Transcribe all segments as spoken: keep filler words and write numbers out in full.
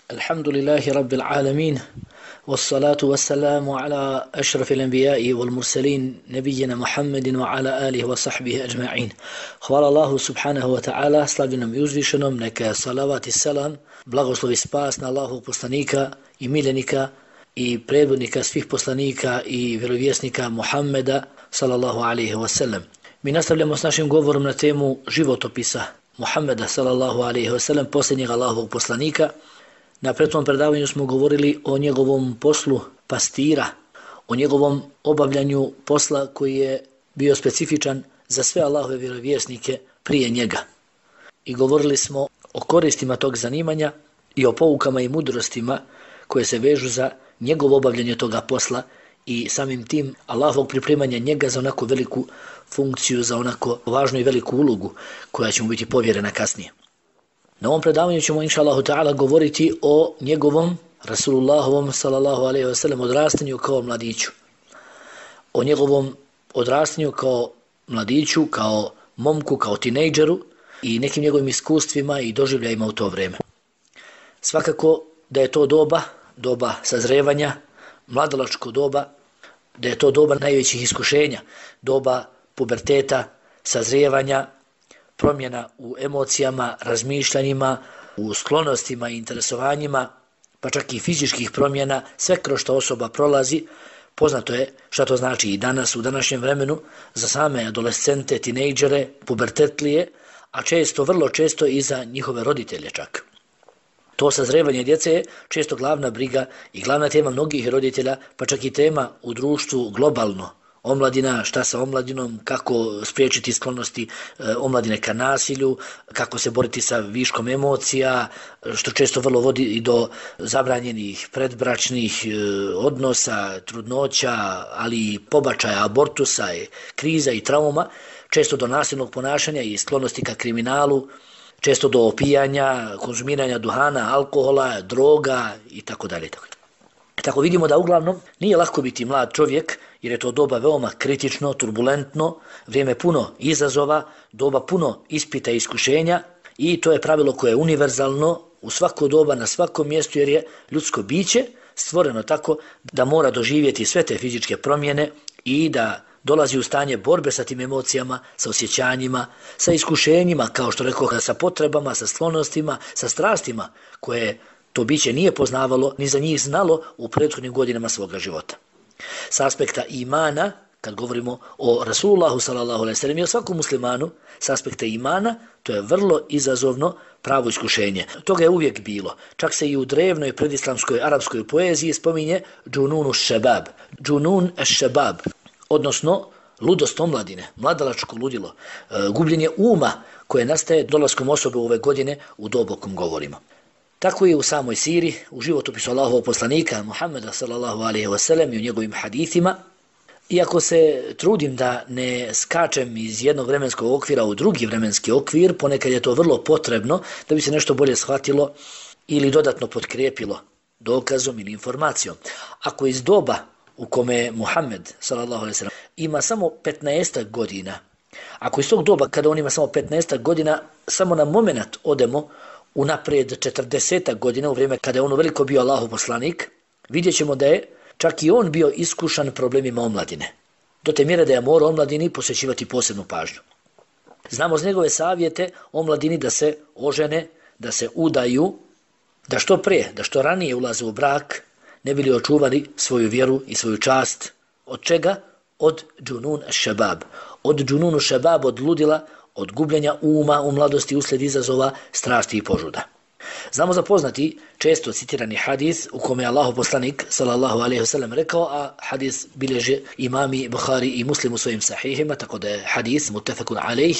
الحمد لله رب العالمين والصلاة والسلام على أشرف الأنبياء والمرسلين نبينا محمد وعلى آله وصحبه أجمعين. Hvala Allahu subhanahu wa ta'ala, slavljenom i uzvišenom, neka salavat i salam, blagoslov i spas na Allahovog poslanika i miljenika i predvodnika svih poslanika i vjerovjesnika Muhammeda sallallahu alaihi wa sallam. Mi nastavljamo s našim govorom na temu životopisa Muhammeda sallallahu alaihi wa sallam, posljednjeg Allahovog poslanika. Na prethodnom predavanju smo govorili o njegovom poslu pastira, o njegovom obavljanju posla koji je bio specifičan za sve Allahove vjerovjesnike prije njega. I govorili smo o koristima tog zanimanja i o poukama i mudrostima koje se vežu za njegovo obavljanje toga posla i samim tim Allahovog pripremanja njega za onako veliku funkciju, za onako važnu i veliku ulogu koja će mu biti povjerena kasnije. Na ovom predavanju ćemo inša Allahu ta'ala govoriti o njegovom Rasulullahovom sallallahu alaihi wa sallam odrastanju kao mladiću. O njegovom odrastanju kao mladiću, kao momku, kao tinejdžeru i nekim njegovim iskustvima i doživljajima u to vrijeme. Svakako da je to doba, doba sazrevanja, mladalačko doba, da je to doba najvećih iskušenja, doba puberteta, sazrijevanja, promjena u emocijama, razmišljanjima, u sklonostima i interesovanjima, pa čak i fizičkih promjena, sve kroz što osoba prolazi. Poznato je šta to znači i danas, u današnjem vremenu, za same adolescente, tinejdžere, pubertetlije, a često, vrlo često i za njihove roditelje čak. To sazrevanje djece je često glavna briga i glavna tema mnogih roditelja, pa čak i tema u društvu globalno. Omladina, šta sa omladinom, kako spriječiti sklonosti e, omladine ka nasilju, kako se boriti sa viškom emocija, što često vrlo vodi i do zabranjenih predbračnih e, odnosa, trudnoća, ali i pobačaja, abortusa, kriza i trauma, često do nasilnog ponašanja i sklonosti ka kriminalu, često do opijanja, konzumiranja duhana, alkohola, droga i tako dalje. Tako vidimo da uglavnom nije lako biti mlad čovjek, jer je to doba veoma kritično, turbulentno, vrijeme puno izazova, doba puno ispita i iskušenja i to je pravilo koje je univerzalno u svako doba, na svakom mjestu, jer je ljudsko biće stvoreno tako da mora doživjeti sve te fizičke promjene i da dolazi u stanje borbe sa tim emocijama, sa osjećanjima, sa iskušenjima, kao što rekao, sa potrebama, sa sklonostima, sa strastima koje to biće nije poznavalo, ni za njih znalo u prethodnim godinama svoga života. S aspekta imana, kad govorimo o Rasulullahu sallallahu alejhi ve sellem i o svakom muslimanu, s aspekta imana, to je vrlo izazovno pravo iskušenje. Toga je uvijek bilo. Čak se i u drevnoj predislamskoj arapskoj poeziji spominje džununu šebab, džunun šebab, odnosno ludost omladine, mladalačko ludilo, gubljenje uma koje nastaje dolaskom osobe u ove godine u dobu o kom govorimo. Tako je u samoj siri, u životopisu Allahovog poslanika Muhammeda sallallahu alejhi ve sellem i u njegovim hadithima. Iako se trudim da ne skačem iz jednog vremenskog okvira u drugi vremenski okvir, ponekad je to vrlo potrebno da bi se nešto bolje shvatilo ili dodatno potkrijepilo dokazom ili informacijom. Ako iz doba u kome Muhammed sallallahu alejhi ve sellem ima samo petnaestak godina, ako iz tog doba kada on ima samo petnaestak godina, samo na moment odemo unaprijed četrdesetak godina, u vrijeme kada je on veliko bio Allahov poslanik, vidjet ćemo da je čak i on bio iskušan problemima omladine. Do te mjere da je morao omladini posvećivati posebnu pažnju. Znamo z njegove savjete omladini da se ožene, da se udaju, da što prije, da što ranije ulaze u brak, ne bili očuvali svoju vjeru i svoju čast. Od čega? Od džunun šebab. Od džununu šebab, od ludila, od gubljenja uma u mladosti uslijed izazova, strasti i požuda. Znamo za poznati, često citirani hadis u kome je Allahov poslanik sallallahu alejhi ve sellem rekao, a hadis bilježe imami Buhari i Muslim u svojim sahihima, tako da je hadis muttefakun alejh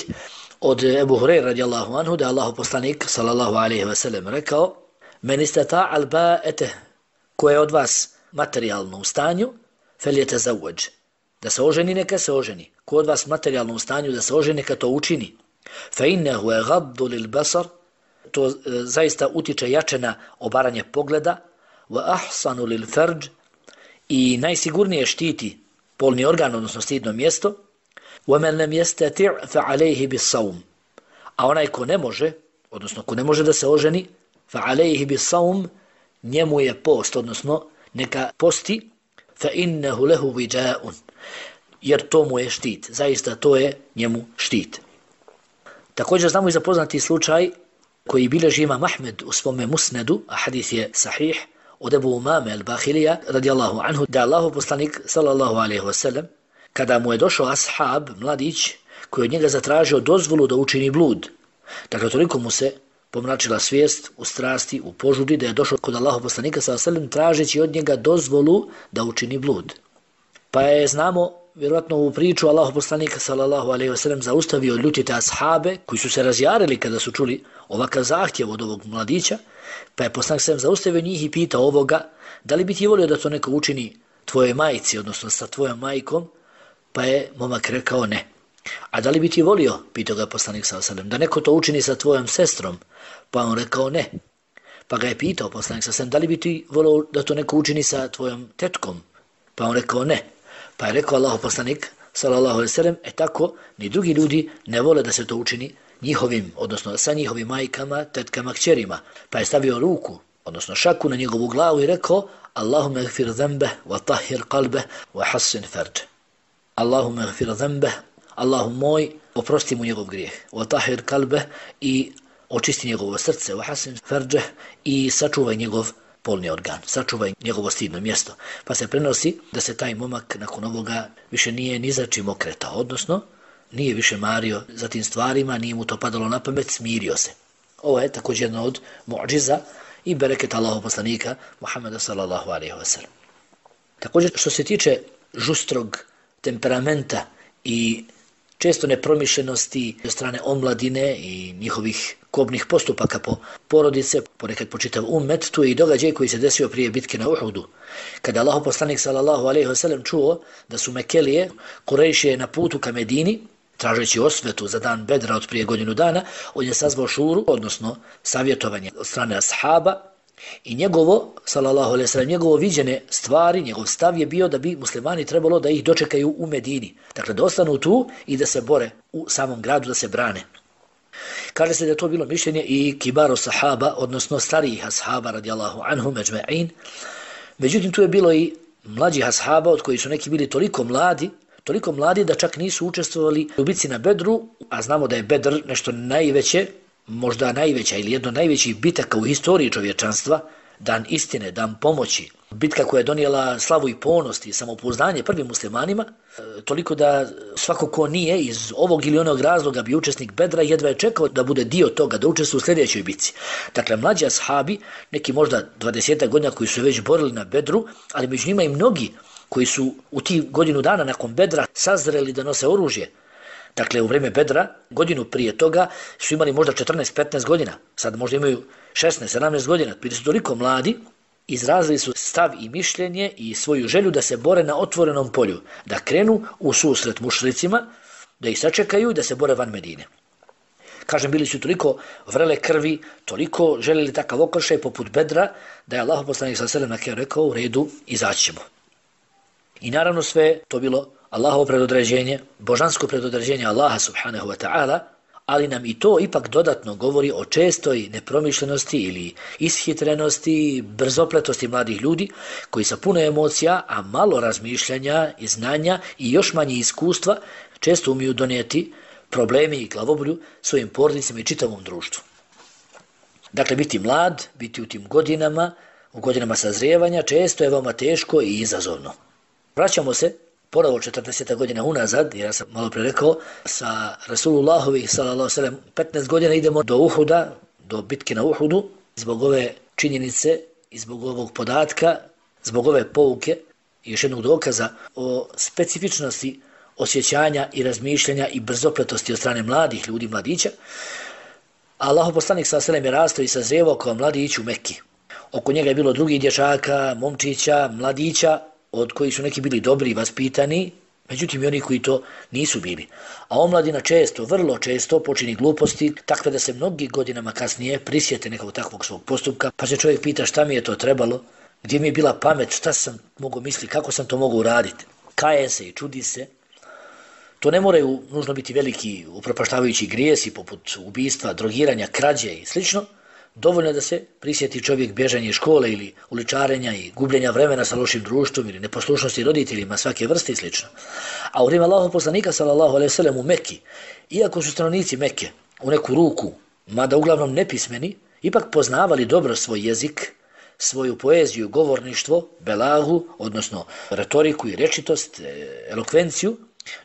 od Ebu Hurajre radijallahu anhu, da je Allahov poslanik sallallahu alejhi ve sellem rekao: "Men istata'a al-ba'ata", ko je od vas materijalno u stanju, falyatazawwaj, da se oženi, neka se oženi. Ko od vas materijalno u stanju da se oženi, neka to učini. Fa innahu yaghaddu lil-basar, to e, zaista utiče jače na obaranje pogleda, wa ahsanu lil-farj, i najsigurnije štiti polni organ, odnosno stidno mjesto. Wa man lam yastati' fa alayhi bis-sawm, a onaj ko ne može, odnosno ko ne može da se oženi, fa alayhi bis-sawm, njemu je post, odnosno neka posti, fa innahu lahu wijaun, jer to mu je štit, zaista to je njemu štit. Također znamo i za poznati slučaj koji bilježi Imam Ahmed u svome musnedu, a hadis je sahih, od Ebu Umame al-Bahilija radijallahu anhu, da Allahov poslanik sallallahu alejhi ve sellem, kada mu je došao ashab, mladić, koji od njega zatražio dozvolu da učini blud. Dakle, toliko mu se pomračila svijest u strasti, u požudi, da je došao kod Allahov poslanika sallallahu alejhi ve sellem tražeći od njega dozvolu da učini blud. Pa je, znamo, vjerojatno u priču Allahov poslanika sallallahu alejhi ve sellem zaustavio ljutite ashabe koji su se razjarili kada su čuli ovakav zahtjev od ovog mladića, pa je poslanik sallallahu zaustavio njih i pitao ovoga, da li bi ti volio da to neko učini tvojoj majci, odnosno sa tvojom majkom, pa je momak rekao ne. A da li bi ti volio, pitao ga poslanik sallallahu alejhi ve sellem, da neko to učini sa tvojom sestrom, pa on rekao ne. Pa ga je pitao poslanik sallallahu alejhi ve sellem, da li bi ti volio da to neko učini sa tvojom tetkom, pa on rekao ne. Pa je rekao Allahov poslanik sallallahu alejhi ve sellem, e tako ni drugi ljudi ne vole da se to učini njihovim, odnosno sa njihovim majkama, tetkama, kćerima. Pa je stavio ruku, odnosno šaku na njegovu glavu i rekao: Allahumma gfir zambeh, wa tahhir qalbeh, wa hassin farđ. Allahumma gfir zambeh, Allahu moj, oprosti mu njegov grijeh, wa tahhir qalbeh, i očisti njegovo srce, wa hassin farđ, i sačuvaj njegov polni organ, sačuvaj njegovo stidno mjesto. Pa se prenosi da se taj momak nakon ovoga više nije ni za čim okretao, odnosno nije više mario za tim stvarima, nije mu to padalo na pamet, smirio se. Ovo je također jedna od mu'džiza i bereketa Allahov poslanika Muhammeda sallallahu alejhi ve sellem. Također, što se tiče žustrog temperamenta i često nepromišljenosti od strane omladine i njihovih kobnih postupaka po porodice, ponekad po čitav ummet, tu je i događaj koji se desio prije bitke na Uhudu. Kada Allahov poslanik sallallahu alejhi ve sellem čuo da su Mekelije, Kurejšije na putu ka Medini, tražeći osvetu za dan Bedra od prije godinu dana, on je sazvao šuru, odnosno savjetovanje od strane ashaba, i njegovo, sallallahu alejhi ve sellem, njegovo viđene stvari, njegov stav je bio da bi muslimani trebalo da ih dočekaju u Medini. Dakle, da ostanu tu i da se bore u samom gradu, da se brane. Kaže se da je to bilo mišljenje i kibaro sahaba, odnosno starijih ashaba radijallahu anhum ejma'in. Međutim, tu je bilo i mlađih ashaba od koji su neki bili toliko mladi, toliko mladi da čak nisu učestvovali u bitci na Bedru, a znamo da je Bedr nešto najveće, možda najveća ili jedno najvećih bitaka u historiji čovječanstva, dan istine, dan pomoći, bitka koja je donijela slavu i ponos i samopouzdanje prvim muslimanima, toliko da svako ko nije iz ovog ili onog razloga bi učesnik Bedra jedva je čekao da bude dio toga, da učestvuje u sljedećoj bitci. Dakle, mlađi ashabi, neki možda dvadeset godina koji su već borili na Bedru, ali među njima i mnogi koji su u tih godinu dana nakon Bedra sazreli da nose oružje. Dakle, u vrijeme Bedra, godinu prije toga, su imali možda četrnaest petnaest godina, sad možda imaju šesnaest sedamnaest godina, bili su toliko mladi, izrazili su stav i mišljenje i svoju želju da se bore na otvorenom polju, da krenu u susret mušricima, da ih sačekaju i da se bore van Medine. Kažem, bili su toliko vrele krvi, toliko željeli takav okršaj poput Bedra, da je Allahov poslanik sallallahu alejhi ve sellem rekao: u redu, izaći ćemo. I naravno sve to bilo Allahovo predodređenje, božansko predodređenje Allaha subhanahu wa ta'ala, ali nam i to ipak dodatno govori o čestoj nepromišljenosti ili ishitrenosti, brzopletosti mladih ljudi koji sa puno emocija, a malo razmišljanja i znanja i još manje iskustva često umiju donijeti problemi i glavobolju svojim porodicama i čitavom društvu. Dakle, biti mlad, biti u tim godinama, u godinama sazrijevanja, često je veoma teško i izazovno. Vraćamo se ponovo četrdeset godina unazad, jer ja sam malo pre rekao, sa Rasulullahovih sallallahu alejhi ve sellem petnaest godina idemo do Uhuda, do bitke na Uhudu, zbog ove činjenice i zbog ovog podatka, zbog ove pouke i još jednog dokaza o specifičnosti osjećanja i razmišljanja i brzopletosti od strane mladih ljudi, mladića. Allahov poslanik sallallahu alejhi ve sellem je rastao i sazrijevao kao mladić u Mekki. Oko njega je bilo drugih dječaka, momčića, mladića, od kojih su neki bili dobri i vaspitani, međutim i oni koji to nisu bili. A omladina često, vrlo često počini gluposti, takve da se mnogi godinama kasnije prisjete nekog takvog svog postupka, pa se čovjek pita šta mi je to trebalo, gdje mi je bila pamet, šta sam mogao misliti, kako sam to mogao uraditi. Kaje se i čudi se. To ne moraju nužno biti veliki upropaštavajući grijesi poput ubistva, drogiranja, krađe i slično, Dovoljno da se prisjeti čovjek bježanje iz škole ili uličarenja i gubljenja vremena sa lošim društvom ili neposlušnosti roditeljima svake vrste i sl. A u vrijeme Allahovog poslanika sallallahu alejhi ve sellem u Mekki, iako su stanovnici Mekke u neku ruku, mada uglavnom nepismeni, ipak poznavali dobro svoj jezik, svoju poeziju, govorništvo, belagu, odnosno retoriku i rečitost, elokvenciju,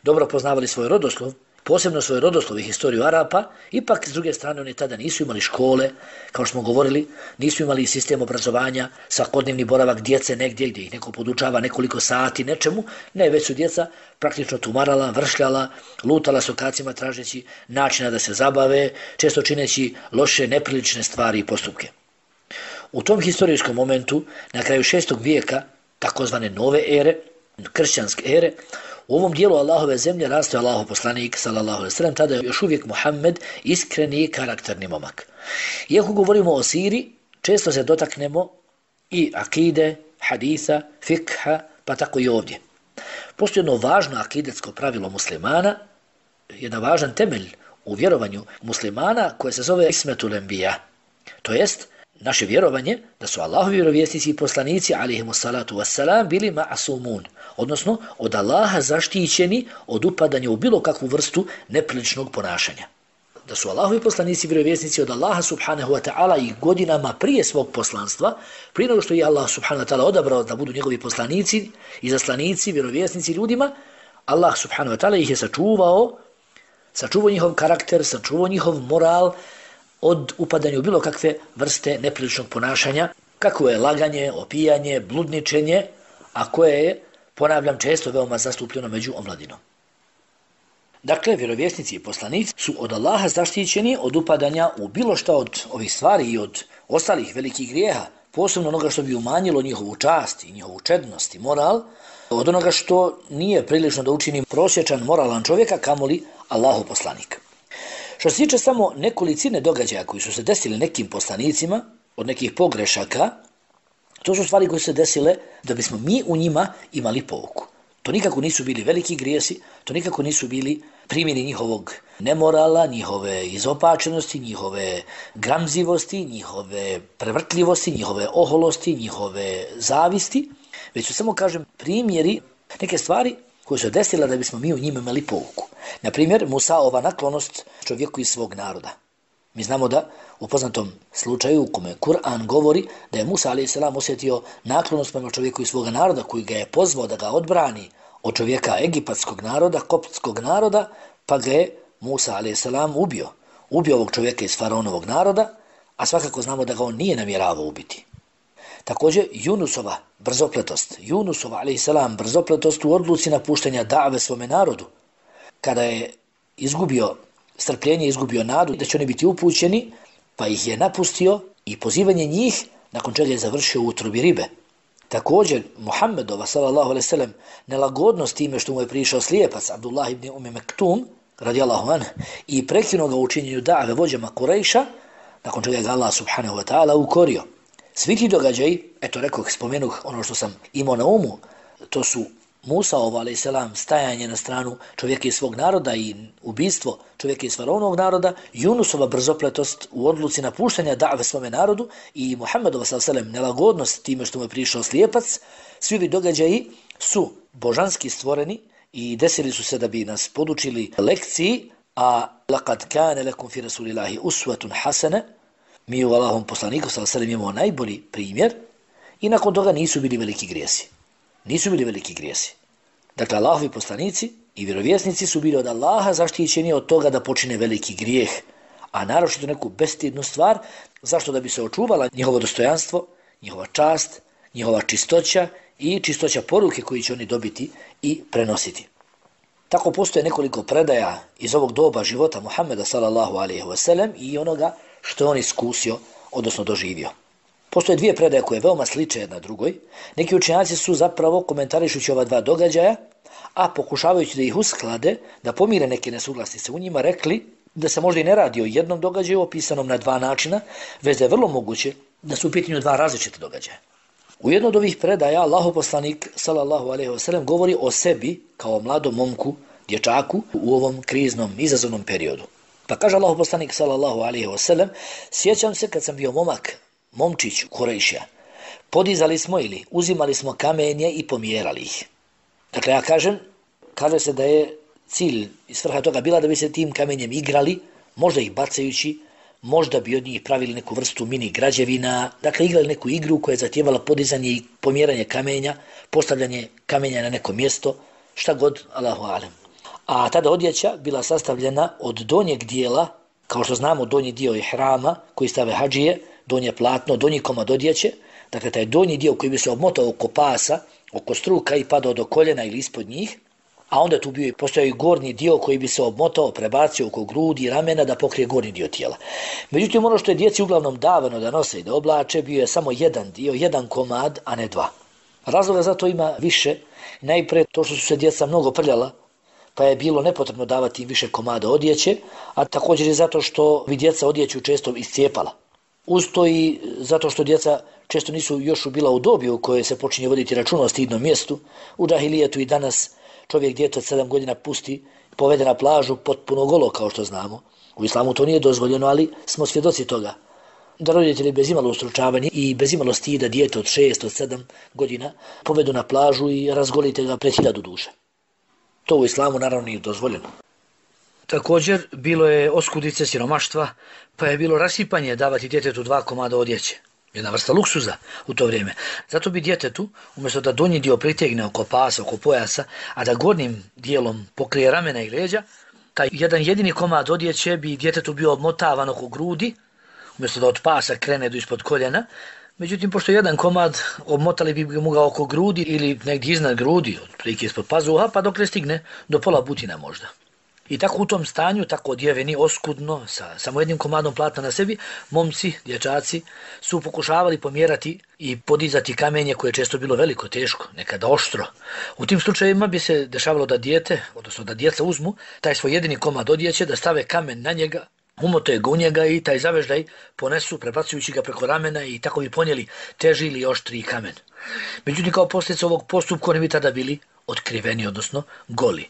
dobro poznavali svoj rodoslov, posebno svoj rodoslov i historiju Arapa, ipak s druge strane oni tada nisu imali škole, kao što smo govorili, nisu imali sistem obrazovanja, svakodnevni boravak djece negdje gdje ih neko podučava nekoliko sati nečemu, ne, već su djeca praktično tumarala, vršljala, lutala s okacima tražeći načina da se zabave, često čineći loše, neprilične stvari i postupke. U tom historijskom momentu, na kraju šestog vijeka, takozvane nove ere, kršćanske ere, u ovom dijelu Allahove zemlje rastao Allahov poslanik sallallahu alejhi ve sellem, tada je još uvijek Muhammed iskreni i karakterni momak. Iako govorimo o siri, često se dotaknemo i akide, haditha, fikha, pa tako i ovdje. Postoji jedno važno akidetsko pravilo muslimana, jedan važan temelj u vjerovanju muslimana koje se zove ismetul enbija. To jest, naše vjerovanje da su Allahovi vjerovjesnici i poslanici alejhimu salatu vesselam bili ma'sumun, odnosno od Allaha zaštićeni od upadanja u bilo kakvu vrstu nepriličnog ponašanja. Da su Allahovi poslanici i vjerovjesnici od Allaha subhanahu wa ta'ala i godinama prije svog poslanstva, prije nego što je Allah subhanahu wa ta'ala odabrao da budu njegovi poslanici i zaslanici, vjerovjesnici ljudima, Allah subhanahu wa ta'ala ih je sačuvao, sačuvao njihov karakter, sačuvao njihov moral, od upadanja u bilo kakve vrste nepriličnog ponašanja, kako je laganje, opijanje, bludničenje, a koje je, ponavljam, često veoma zastupljeno među omladinom. Dakle, vjerovjesnici i poslanici su od Allaha zaštićeni od upadanja u bilo šta od ovih stvari i od ostalih velikih grijeha, posebno onoga što bi umanjilo njihovu čast i njihovu čednost i moral, od onoga što nije prilično da učini prosječan moralan čovjeka, kamoli Allahov poslanik. Što se tiče samo nekolicine događaja koji su se desili nekim poslanicima, od nekih pogrešaka, to su stvari koje su se desile da bismo mi u njima imali pouku. To nikako nisu bili veliki grijesi, to nikako nisu bili primjeri njihovog nemorala, njihove izopačenosti, njihove gramzivosti, njihove prevrtljivosti, njihove oholosti, njihove zavisti, već su samo, kažem, primjeri neke stvari koje su desile da bismo mi u njima imali pouku. Na primjer, Musaova naklonost čovjeku iz svog naroda. Mi znamo da u poznatom slučaju u kome Kur'an govori da je Musa alejhi selam osjetio naklonost prema čovjeku iz svoga naroda koji ga je pozvao da ga odbrani od čovjeka egipatskog naroda, koptskog naroda, pa ga je Musa alejhi selam ubio. Ubio ovog čovjeka iz faraonovog naroda, a svakako znamo da ga on nije namjeravao ubiti. Također, Yunusova brzopletost, Yunusova alejhi selam brzopletost u odluci napuštanja da've svome narodu, kada je izgubio strpljenje, izgubio nadu da će oni biti upućeni, pa ih je napustio i pozivanje njih, nakon čega je završio u utrobi ribe. Također, Muhammedova sallallahu alejhi ve sellem nelagodnost time što mu je prišao slijepac Abdullah ibn Umi Mektum, radijallahu anhu, i prekinuo ga u učinjenju da've vođama Kurejša, nakon čega je Allah subhanahu wa ta'ala ukorio. Svi ti događaji, eto rekoh, spomenuh ono što sam imao na umu, to su Musaov alejhi selam stajanje na stranu čovjeka iz svog naroda i ubistvo čovjeka iz faraonovog naroda, Yunusova brzopletost u odluci napuštanja da've svome narodu i Muhammedova sallallahu alejhi ve sellem nelagodnost time što mu je prišao slijepac, svi ovi događaji su božanski stvoreni i desili su se da bi nas podučili lekciji, a laqad kana lakum fi rasulillahi uswatun hasana, mi u Allahovom poslaniku sallallahu alejhi ve sellem imamo najbolji primjer i nakon toga nisu bili veliki grijesi. Nisu bili veliki grijesi. Dakle, Allahovi poslanici i vjerovjesnici su bili od Allaha zaštićeni od toga da počine veliki grijeh, a naročito neku bestidnu stvar, zašto da bi se očuvala njihovo dostojanstvo, njihova čast, njihova čistoća i čistoća poruke koju će oni dobiti i prenositi. Tako postoje nekoliko predaja iz ovog doba života Muhammeda sallallahu alejhi ve sellem i onoga što on iskusio, odnosno doživio. Postoje dvije predaje koje veoma sliče jedna drugoj. Neki učenjaci su zapravo komentarišući ova dva događaja, a pokušavajući da ih usklade, da pomire neke nesuglasice u njima, rekli da se možda i ne radi o jednom događaju opisanom na dva načina, već da je vrlo moguće da su u pitanju dva različite događaja. U jednom od ovih predaja Allahov poslanik sallallahu alejhi ve sellem govori o sebi kao mladom momku, dječaku u ovom kriznom, izazovnom periodu. Pa kaže Allahu poslanik sallallahu alejhi ve sellem, sjećam se kad sam bio momak, momčić Kurejšija, podizali smo ili uzimali smo kamenje i pomjerali ih. Dakle, ja kažem, kaže se da je cilj i svrha toga bila da bi se tim kamenjem igrali, možda ih bacajući, možda bi od njih pravili neku vrstu mini građevina, dakle igrali neku igru koja je zahtijevala podizanje i pomjeranje kamenja, postavljanje kamenja na neko mjesto, šta god, Allahu alem. A tada odjeća bila sastavljena od donjeg dijela, kao što znamo donji dio ihrama koji stave hadžije, donje platno, donji komad odjeće, dakle taj donji dio koji bi se obmotao oko pasa, oko struka i padao do koljena ili ispod njih, a onda tu bio postojao i gornji dio koji bi se obmotao, prebacio oko grudi i ramena da pokrije gornji dio tijela. Međutim, ono što je djeci uglavnom davano da nose i da oblače, bio je samo jedan dio, jedan komad, a ne dva. Razloga za to ima više. Najprije to što su se djeca mnogo prljala, pa je bilo nepotrebno davati im više komada odjeće, a također i zato što bi djeca odjeću često iscijepala. Uz to i zato što djeca često nisu još bila u dobi u kojoj se počinje voditi računa o stidnom mjestu. U džahilijetu i danas čovjek dijete od sedam godina pusti, povede na plažu potpuno golo, kao što znamo. U islamu to nije dozvoljeno, ali smo svjedoci toga. Da roditelji bez imalo ustručavanja i bez imalo stida dijete od šest, od sedam godina povedu na plažu i razgolite ga pred hiljadu duša. To u islamu naravno nije dozvoljeno. Također, bilo je oskudice siromaštva, pa je bilo rasipanje davati djetetu dva komada odjeće. Jedna vrsta luksuza u to vrijeme. Zato bi djetetu, umjesto da donji dio pritegne oko pasa, oko pojasa, a da gornjim dijelom pokrije ramena i leđa, taj jedan jedini komad odjeće bi djetetu bio obmotavan oko grudi, umjesto da od pasa krene do ispod koljena. Međutim, pošto jedan komad obmotali bi mu ga oko grudi ili negdje iznad grudi, otprilike ispod pazuha, pa dok ne stigne do pola butina možda. I tako u tom stanju, tako odjeveni, oskudno, sa samo jednim komadom platna na sebi, momci, dječaci su pokušavali pomjerati i podizati kamenje koje je često bilo veliko, teško, nekada oštro. U tim slučajevima bi se dešavalo da dijete, odnosno da djeca uzmu taj svoj jedini komad odjeće, da stave kamen na njega, umote ga u njega i taj zaveždaj ponesu, prebacujući ga preko ramena i tako bi ponijeli teži ili oštriji kamen. Međutim, kao posljedica ovog postupka oni bi tada bili otkriveni, odnosno goli.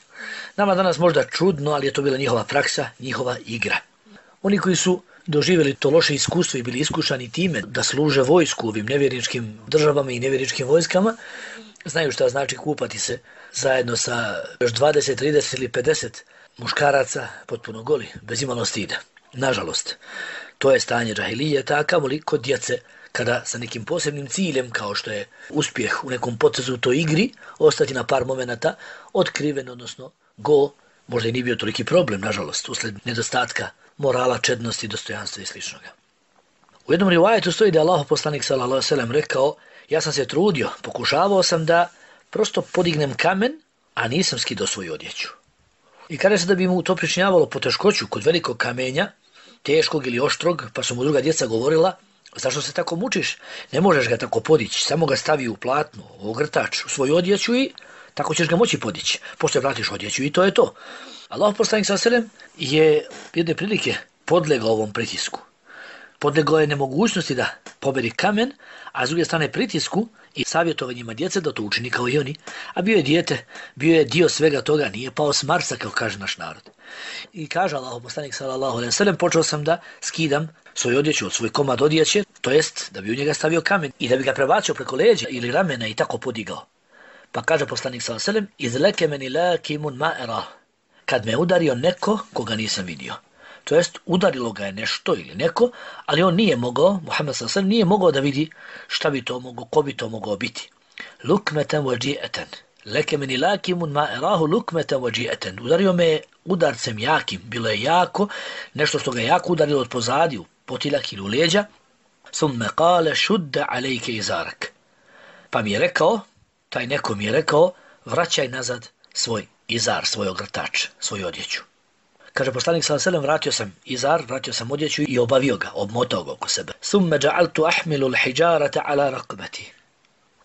Nama danas možda čudno, ali je to bila njihova praksa, njihova igra. Oni koji su doživjeli to loše iskustvo i bili iskušani time da služe vojsku u ovim nevjerničkim državama i nevjerničkim vojskama, znaju šta znači kupati se zajedno sa još dvadeset, trideset ili pedeset muškaraca potpuno goli, bez imalo stida. Nažalost, to je stanje džahilijeta, a kamoli kod djece, kada sa nekim posebnim ciljem, kao što je uspjeh u nekom potezu u toj igri, ostati na par momenata otkriven, odnosno go, možda i nije bio toliki problem, nažalost, usled nedostatka morala, čednosti, dostojanstva i sličnoga. U jednom rivajetu stoji da je Allahov poslanik sallallahu alejhi ve sellem rekao: ja sam se trudio, pokušavao sam da prosto podignem kamen, a nisam skidao svoju odjeću. I kaže se da bi mu to pričinjavalo poteškoću kod velikog kamenja, teškog ili oštrog, pa su mu druga djeca govorila: zašto se tako mučiš? Ne možeš ga tako podići, samo ga stavi u platno, u ogrtač, u svoju odjeću i tako ćeš ga moći podići. Pošto vratiš odjeću i to je to. Allahov poslanik sallallahu alejhi ve sellem je jedne prilike podlegao ovom pritisku. Podlegao je nemogućnosti da poberi kamen, a s druge strane pritisku i savjetovanjima djece da to učini kao i oni. A bio je dijete, bio je dio svega toga, nije pao s Marsa, kao kaže naš narod. I kaže Allahov poslanik sallallahu alejhi ve sellem, počeo sam da skidam svoju odjeću od svoj komad odjeće, to jest da bi u njega stavio kamen i da bi ga prebacio preko leđa ili ramena i tako podigao. Pa kaže poslanik sallallahu alejhi ve sellem: izleke meni lakimun ma'era, kad me udario neko koga nisam vidio. To jest udarilo ga je nešto ili neko, ali on nije mogao, Muhammed sallallahu alejhi ve sellem nije mogao da vidi šta bi to mogao, ko bi to mogao biti. Lukmeten waji'atan, leke meni lakimun ma'erahu lukmeten waji'atan. Udario me udarcem jakim, bilo je jako, nešto što ga je jako udarilo od pozadi, u potiljak ili u leđa. Summe kale šudde alejke izarak. Pa mi je rekao, taj neko mi je rekao, vraćaj nazad svoj izar, svoj ogrtač, svoju odjeću. Kaže poslanik sallallahu alejhi ve sellem, vratio sam izar, vratio sam odjeću i obavio ga, obmotao ga oko sebe. Summe ja'altu ahmilu al-hijarata ala raqbati.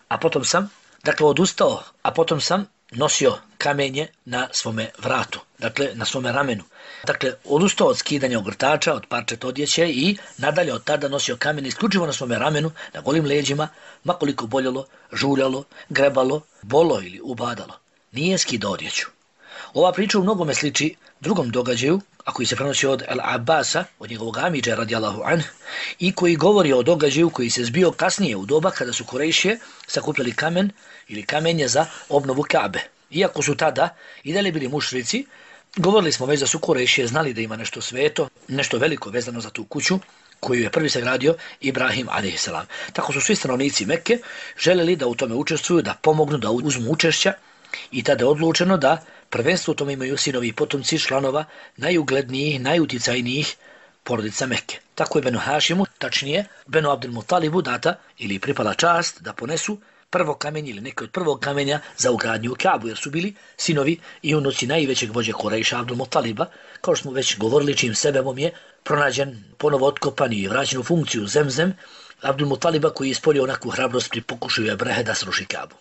A potom sam, dakle odustao, a potom sam nosio kamenje na svome vratu, dakle na svome ramenu. Dakle, odustao od skidanja ogrtača, od parčeta odjeće i nadalje od tada nosio kamen isključivo na svome ramenu, na golim leđima, makoliko boljelo, žuljalo, grebalo, bolo ili ubadalo. Nije skidao odjeću. Ova priča u mnogome sliči drugom događaju, a koji se prenosi od Al-Abasa, od njegovog amidža radijallahu anh, i koji govori o događaju koji se zbio kasnije u doba kada su Kurejšije sakupljali kamen ili kamenje za obnovu Kabe. Iako su tada i dalje bili mušrici, govorili smo već da su Kurejšije znali da ima nešto sveto, nešto veliko vezano za tu kuću koju je prvi sagradio Ibrahim alejhiselam. Tako su svi stanovnici Mekke želeli da u tome učestvuju, da pomognu, da uzmu učešća, i tada je odlučeno da prvenstvo u tome imaju sinovi i potomci članova najuglednijih, najuticajnijih porodica Mekke. Tako je Benu Hašimu, tačnije Benu Abdul Mutalibu, data ili pripala čast da ponesu prvo kamenje ili neke od prvog kamenja za ugradnju u Kabu, jer su bili sinovi i unuci najvećeg vođe Kurejša Abdul Mutaliba, kao što smo već govorili, čim sebebom je pronađen, ponovo otkopan i vraćen u funkciju Zemzem Abdul Mutaliba, koji je ispolio onakvu hrabrost pri pokušaju Ebrehe da sruši Kabu.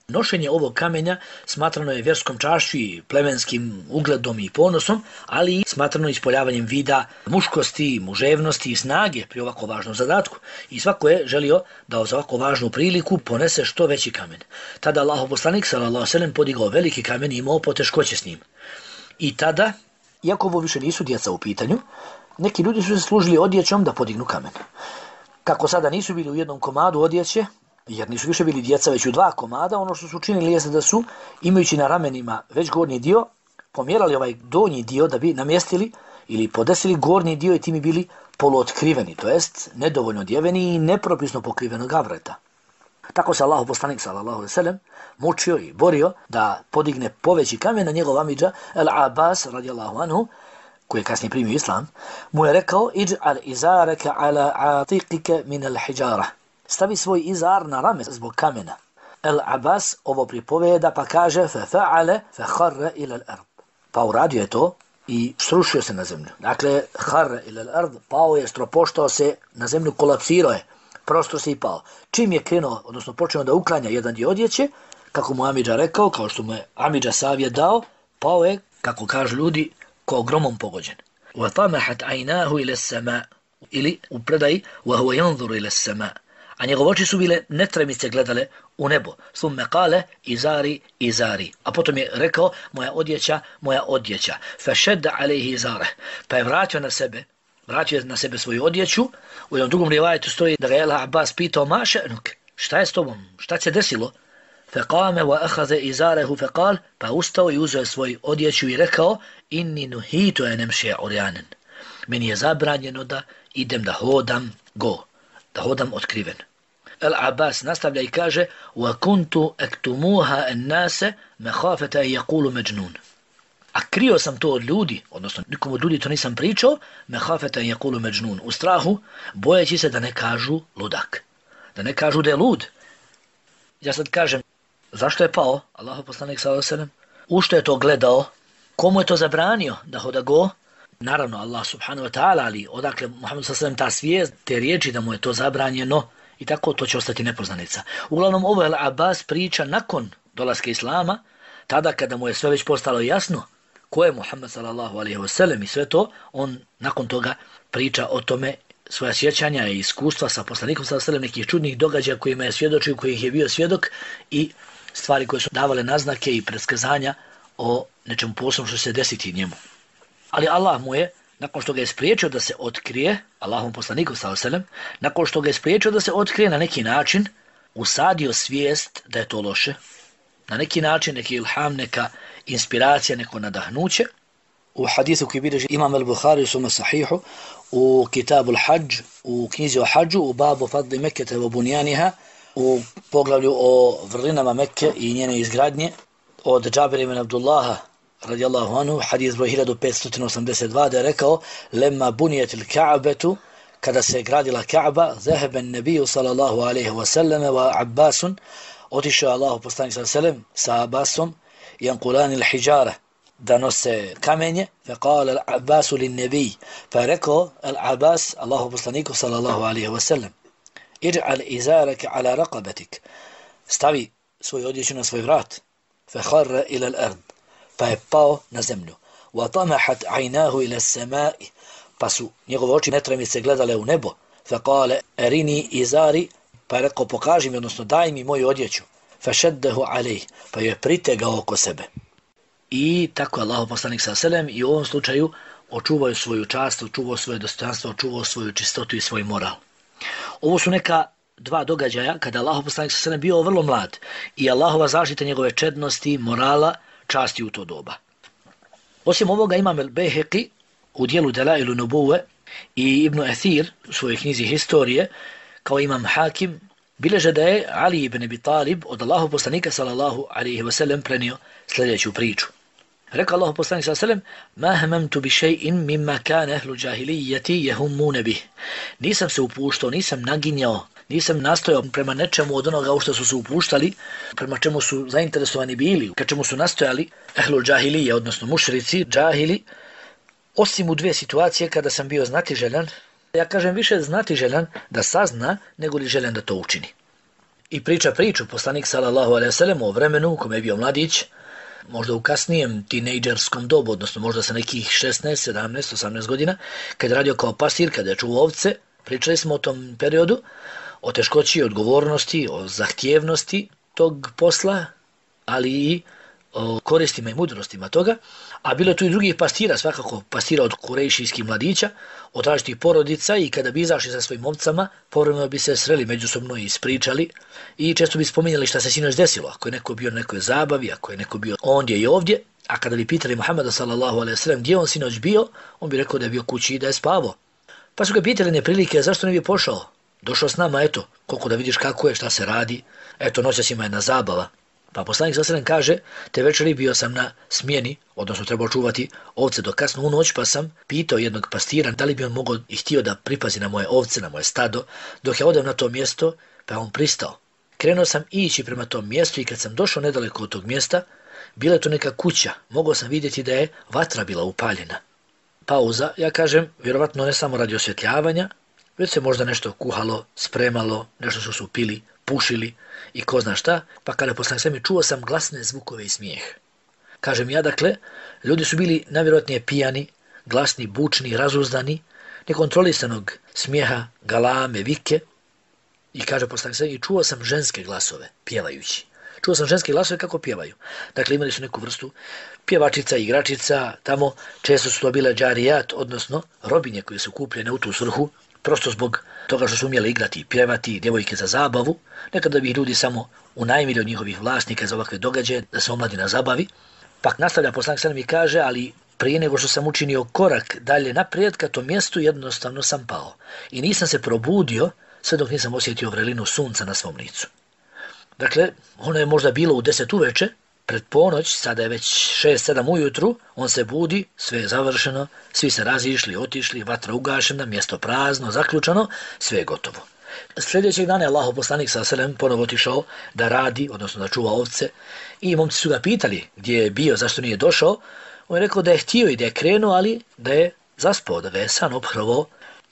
Nošenje ovog kamenja smatrano je vjerskom čašću i plemenskim ugledom i ponosom, ali i smatrano ispoljavanjem vida muškosti, muževnosti i snage pri ovako važnom zadatku. I svako je želio da za ovako važnu priliku ponese što veći kamen. Tada Allahov poslanik sallallahu alejhi ve sellem podigao veliki kamen i imao poteškoće s njim. I tada, iako ovo više nisu djeca u pitanju, neki ljudi su se služili odjećom da podignu kamen. Kako sada nisu bili u jednom komadu odjeće, jer nisu više bili djeca već u dva komada, ono što su učinili jeste da su, imajući na ramenima već gornji dio, pomjerali ovaj donji dio da bi namjestili ili podesili gornji dio i time bili poluotkriveni, to jest nedovoljno odjeveni i nepropisno pokrivenog avreta. Tako se Allahov poslanik sallallahu alejhi ve sellem mučio i borio da podigne poveći kamen. Na njegov amidža Al-Abbas radijallahu anhu, koji je kasnije primio islam, mu je rekao: "Ij'al izaraka ala atiqika min al-hijara." Stavi svoj izar na rame zbog kamena. Al-Abbas ovo pripoveda pa kaže: "Fa'ala fakharra ila al-ard." Pa uradio je to i srušio se na zemlju. Dakle, kharra ila al-ard, pao je, stropoštao se na zemlju, kolapsirao je, prosto se i pao. Čim je krenuo, odnosno počeo da uklanja jedan dio odjeće, kako mu amidža rekao, kao što mu je amidža savjet dao, pao je, kako kažu ljudi, kao gromom pogođen. Wa tamahat aynahu ila as-sama', ili u predaji wa huwa yanzuru ila as-sama'. A njegove oči su bile netremice gledale u nebo. Thumme kale izari, izari. A potom je rekao: moja odjeća, moja odjeća. Fešedda alejhi izare. Pa je vratio na sebe, vratio na sebe svoju odjeću. U jednom drugom rivajetu stoji da ga je Al-Abbas pitao: ma še'nuk, šta je s tobom, šta se desilo? Fekame wa ahaze izarehu fekal, pa ustao i uzeo svoju odjeću i rekao: inni nuhitu enem še urjanen. Meni je zabranjeno da idem da hodam go, da hodam otkriven. Al-Abbas nastavlja i kaže: wa kuntu aktumuha an-nase makhafata an yaqulu majnun. A krio sam to od ljudi, odnosno nikom od ljudi to nisam pričao, makhafata an yaqulu majnun, u strahu, bojeći se da ne kažu ludak, da ne kažu da je lud. Ja sad kažem, zašto je pao Allahov poslanik sallallahu alejhi ve sellem? U što je to gledao? Komu je to zabranio da hoda go? Naravno Allah subhanahu wa ta'ala, ali odakle Muhammed sallallahu alejhi ve sellem ta svijest, te riječi da mu je to zabranjeno, i tako to će ostati nepoznanica. Uglavnom, ovo je Al-Abbas priča nakon dolaska Islama, tada kada mu je sve već postalo jasno ko je Muhammed sallallahu alejhi ve sellem i sve to, on nakon toga priča o tome svoja sjećanja i iskustva sa poslanikom sallallahu alejhi ve sellem, nekih čudnih događaja kojima je svjedočio, kojih je bio svjedok, i stvari koje su davale naznake i predskazanja o nečemu posebnom što se desiti njemu. Ali Allah mu je, nakon što ga je spriječio da se otkrije, Allahom poslaniku sallallahu alejhi ve sellem, nakon što ga je spriječio da se otkrije, na neki način usadio svijest da je to loše, na neki način, neki ilham, neka inspiracija, neko nadahnuće. U hadisu koji bilježi Imam al-Bukhari u svom sahihu, u Kitabu al-Hajj, u knjizi o hađu, u babu fadli Mekkete wa bunjaniha, u poglavlju o vrlinama Mekke i njene izgradnje, od Džabira ibn Abdullaha radijallahu anhu, hadis broj hiljadu petsto osamdeset dva, da je rekao: lemma bunijetil Ka'betu, kada se gradila Ka'ba, zaheben nebiju sallallahu alaihi wa sallam wa Abbasun, otišao Allahu poslanik sallallahu alaihi wa sallam sa Abbasom, jankulani l-hijjara, da nose kamenje, fe kale al-Abbasu lin-nebij, pa je rekao al-Abbas Allahu poslaniku sallallahu alaihi wa sallam: iđ'al izaraka ala raqabatik, stavi svoju odjeću na svoj vrat, fe kharra ila al-ard, pa je pao na zemlju. Wa tamahat aynahu ila as-sama'i, pa su njegove oči netremice gledale u nebo. Fa kale erini izari, pa je rekao: pokaži mi, odnosno daj mi moju odjeću. Fa šeddehu alejh, pa je pritegao oko sebe. i tako Allahov poslanik sallallahu alejhi ve sellem i u ovom slučaju očuvao svoju čast, očuvao svoje dostojanstvo, očuvao svoju čistotu i svoj moral. Ovo su neka dva događaja kada Allahov poslanik sallallahu alejhi ve sellem bio vrlo mlad i Allahova zaštita njegove čednosti, morala, časti u to doba. Osim ovoga imam el-Bejheqi u dijelu Delailu Nubuve i Ibn Athir u svojoj knjizi Historije, kao imam Hakim, bileže da je Ali ibn Abi Talib od Allahov poslanika sallallahu alejhi ve sellem prenio sljedeću priču. Rekao Allahov poslanik sallallahu alejhi ve sellem: "Ma hamamtu bi shay'in mimma kana ahlu jahiliyyati yahummun bih." Nisam se upuštao, nisam naginjao, nisam nastojao prema nečemu od onoga u što su se upuštali, prema čemu su zainteresovani bili, ka čemu su nastojali ahlu džahilije, odnosno mušrici, džahili, osim u dvije situacije kada sam bio znatiželjan. Ja kažem više znatiželjan da sazna nego li željan da to učini. I priča priču poslanik sallallahu alejhi ve sellem o vremenu u kome je bio mladić, možda u kasnijem tinejdžerskom dobu, odnosno možda sa nekih šesnaest, sedamnaest, osamnaest godina, kad je radio kao pastir, kada je čuvao ovce. Pričali smo o tom periodu, o teškoći, odgovornosti, o zahtjevnosti tog posla, ali i o koristima i mudrostima toga. A bilo je tu i drugih pastira, svakako pastira od kurejšijskih mladića, od različitih porodica, i kada bi izašli sa svojim ovcama, povremeno bi se sreli međusobno i ispričali i često bi spominjali šta se sinoć desilo, ako je neko bio na nekoj zabavi, ako je neko bio ondje i ovdje. A kada bi pitali Muhameda sallallahu alejhi ve sellem gdje on sinoć bio, on bi rekao da je bio kući i da je spavao. Pa su ga pitali neprilike zašto ne bi pošao. Došao s nama, eto, koliko da vidiš kako je, šta se radi, eto, noćas ima jedna zabava. Pa poslanik sallallahu alejhi ve sellem kaže: "Te večeri bio sam na smjeni, odnosno trebao čuvati ovce do kasno u noć, pa sam pitao jednog pastira da li bi on mogao i htio da pripazi na moje ovce, na moje stado, dok ja odem na to mjesto, pa on pristao. Krenuo sam ići prema tom mjestu i kad sam došao nedaleko od tog mjesta, bila je to neka kuća, mogao sam vidjeti da je vatra bila upaljena." Pauza, ja kažem, vjerovatno ne samo radi osvjetljavanja, već se možda nešto kuhalo, spremalo, nešto što su pili, pušili i ko zna šta, pa kada poslanik sallallahu alejhi ve sellem čuo sam glasne zvukove i smijeh. Kažem ja, dakle, ljudi su bili najvjerojatnije pijani, glasni, bučni, razuzdani, nekontrolisanog smijeha, galame, vike, i kaže poslanik sallallahu alejhi ve sellem, i čuo sam ženske glasove, pjevajući. Čuo sam ženske glasove kako pjevaju. Dakle, imali su neku vrstu pjevačica, igračica, tamo često su to bile džarijat, odnosno robinje koje su kupljene u tu svrhu, prosto zbog toga što su umjeli igrati, pjevati, djevojke za zabavu, nekada bi ljudi samo unajmili od njihovih vlasnika za ovakve događaje, da se omladina zabavi. Pa nastavlja poslanik sallallahu alejhi ve sellem i kaže: "Ali prije nego što sam učinio korak dalje naprijed ka tom mjestu, jednostavno sam pao. I nisam se probudio sve dok nisam osjetio vrelinu sunca na svom licu." Dakle, ono je možda bilo u deset uveče, pred ponoć, sada je već šest sedam ujutru, on se budi, sve je završeno, svi se razišli, otišli, vatra ugašena, mjesto prazno, zaključano, sve je gotovo. Sljedećeg dana je Allahov poslanik sallallahu alejhi ve sellem ponovo otišao da radi, odnosno da čuva ovce, i momci su ga pitali gdje je bio, zašto nije došao. On je rekao da je htio i da je krenuo, ali da je zaspao, da ga je san ophrvao,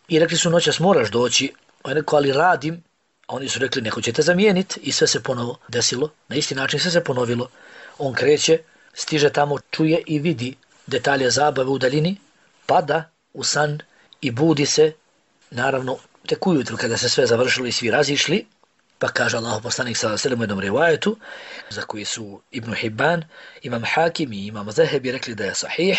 i rekli su: "Noćas moraš doći." On je rekao: "Ali radim." A oni su rekli: "Neko će te zamijeniti." I sve se ponovo desilo, na isti način sve se ponovilo. On kreće, stiže tamo, čuje i vidi detalje zabave u daljini, pada u san i budi se, naravno, tek ujutru kada se sve završilo i svi razišli. Pa kaže Allahov poslanik sallallahu alejhi ve sellem u jednom rivajetu, za koji su Ibn Hibban, imam Hakim i imam Zahebi rekli da je sahih.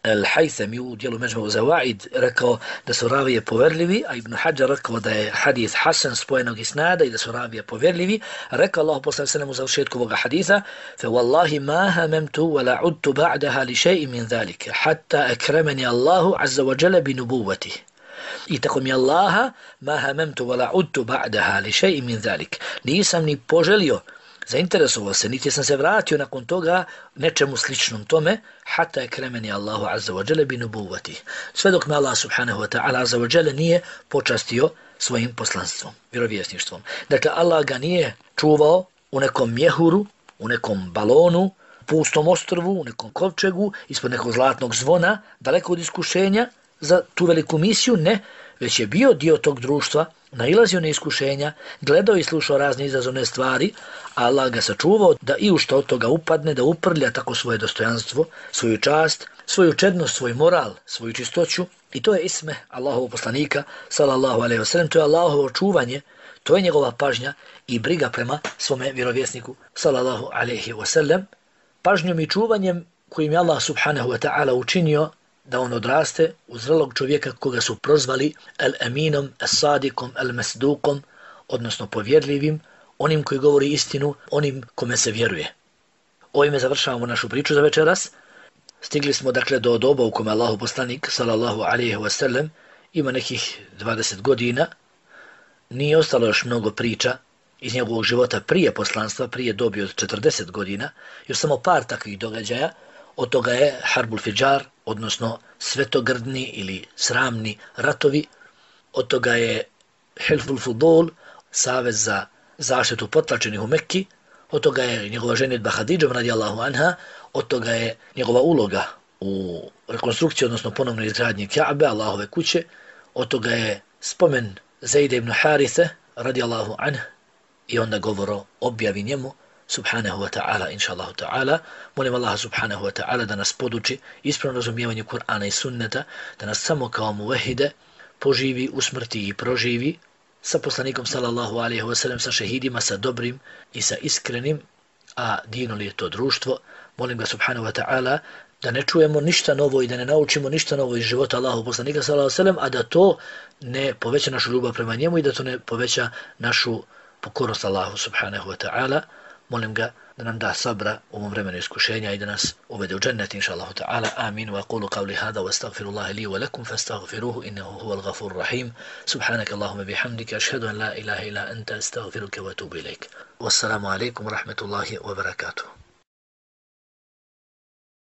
Al-Haythami u dijelu Međmu Zawaid rekao da su ravije poverljivi, a Ibn Hajar rekao da je hadis hasan spojenog isnada i da su ravije poverljivi. Rekao Allah poslanik sallallahu alejhi ve sellem u završetku ovoga hadisa: "Fa wallahi ma hamamtu wa la udtu ba'daha li shay'in min zalika hatta akramani Allahu azza wa jalla bi nubuwwatihi." I tako mi Allaha, ma hamamtu wa la udtu ba'daha li shay'in min zalik. Nisam ni poželio, zainteresovao se, niti sam se vratio nakon toga nečemu sličnom tome, hatta je kremeni Allahu azza wa jalla bi nubuwati. Sve dok me Allah subhanahu wa ta'ala azza wa jalla nije počastio svojim poslanstvom, vjerovjesništvom. Dakle, Allah ga nije čuvao u nekom mjehuru, u nekom balonu, pustom ostrvu, u nekom kovčegu, ispod nekog zlatnog zvona, daleko od iskušenja za tu veliku misiju, ne, već je bio dio tog društva, nailazio na iskušenja, gledao i slušao razne izazovne stvari, a Allah ga sačuvao da i u što od toga upadne, da uprlja tako svoje dostojanstvo, svoju čast, svoju čednost, svoj moral, svoju čistoću. I to je isme Allahovog poslanika, sallallahu alejhi ve sellem, to je Allahovo čuvanje, to je njegova pažnja i briga prema svome vjerovjesniku, sallallahu alejhi ve sellem. Pažnjom i čuvanjem kojim je Allah subhanahu wa ta'ala učinio da on odraste u zrelog čovjeka koga su prozvali al-aminom, as-sadikom, al-masdukom, odnosno povjerljivim, onim koji govori istinu, onim kome se vjeruje. Ovime završavamo našu priču za večeras. Stigli smo dakle do doba u kome Allahu poslanik sallallahu alejhi ve sellem ima nekih dvadeset godina. Nije ostalo još mnogo priča iz njegovog života prije poslanstva, prije dobi od četrdeset godina, još samo par takvih događaja. Od toga je Harbul Fidžar, odnosno svetogrdni ili sramni ratovi. Od toga je Hilful Fudul, savez za zaštitu potlačenih u Mekki. Od toga je njegova ženitba Hadidžom radijallahu anha. Od toga je njegova uloga u rekonstrukciji, odnosno ponovnoj izgradnji Ka'be, Allahove kuće. Od toga je spomen Zejda ibn Harithe radijallahu anha i onda govor o objavi njemu subhanahu wa ta'ala, inša Allahu ta'ala. Molim Allaha subhanahu wa ta'ala da nas poduči ispravno razumijevanje Kur'ana i sunneta, da nas samo kao muvehide poživi, usmrti i proživi sa poslanikom sallallahu alejhi ve sellem, sa šehidima, sa dobrim i sa iskrenim, a dino li je to društvo. Molim ga subhanahu wa ta'ala da ne čujemo ništa novo i da ne naučimo ništa novo iz života Allahu poslanika sallallahu alejhi ve sellem, a da to ne poveća našu ljubav prema njemu i da to ne poveća našu pokornost Allahu subhanahu wa ta'ala. Molim ga da nam da sabra u ovom vremenu iskušenja i da nas uvede u džennet, inša Allahu ta'ala. Amin. Wa aqulu qavli hada wa astaghfirullaha li wa lakum fastaghfiruhu innahu huwal ghafurur rahim. Subhanaka Allahumma bihamdika ashhadu an la ilaha illa anta astaghfiruka wa atubu ilaik. Wassalamu alaikum wa rahmatullahi wa barakatuh.